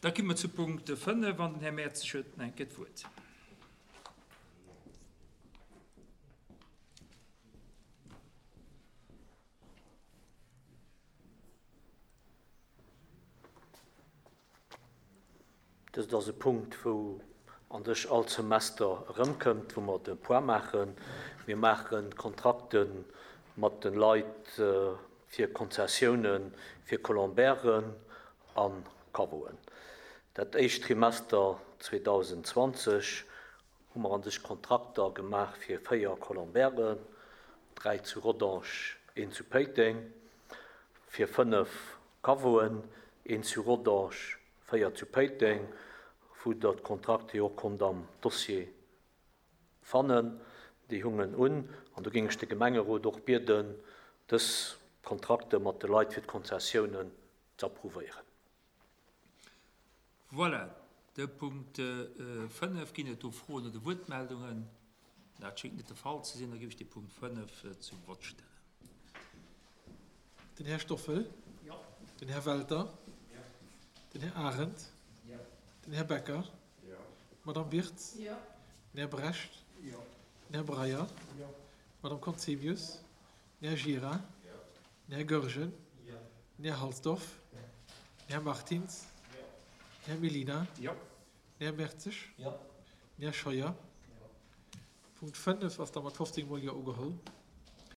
Da komme mer zu Punkt 5 an den Här Mertzig huet nach eng Kéier d'Wuert. Dëst ass e Punkt, wou an sech all Semester erëmkëmmt, wou mer de Point maachen. Mir maache Kontrakte mat de Leit fir Konzessiounen fir Colombairen a Caveauen. Dat éischt Trimester 2020 hu mer an sech Kontrakter gemaach fir 4 Colombairen, 3 zu Rodange, een zu Péiteng, fir 5 Caveauen, een zu Rodange, 4 zu Péiteng, wou Der d'Kontrakte jo och konnt am Dossier fannen. Déi hungen un. An do géing ech de Gemengerot och bieden, dës Kontrakte mat de Leit fir d'Konzessiounen ze approuvéieren. Voilà, de Punkt 5. Ginn et do Froen oder Wuertmeldungen? Dat schéngt net de Fall ze sinn. Da géif ech de Punkt 5 zum Vott stellen. Den Här Stoffel. Jo. Den Här Welter. Jo. Den Här Arendt. Jo. Den Här Becker. Jo. D'Madame Wirtz. Jo. Den Här Brecht. Jo. Den Här Breyer. Jo. D'Madame Conzemius. Den Här Gira. Jo. Den Här Goergen. Jo. Den Här Halsdorf. Jo. Den Här Martins. Jo. Den Här Mellina. Jo. Den Här Mertzig. Jo. Den Här Scheuer. Jo. Punkt 5 ass da mat 15 mol Jo ugeholl.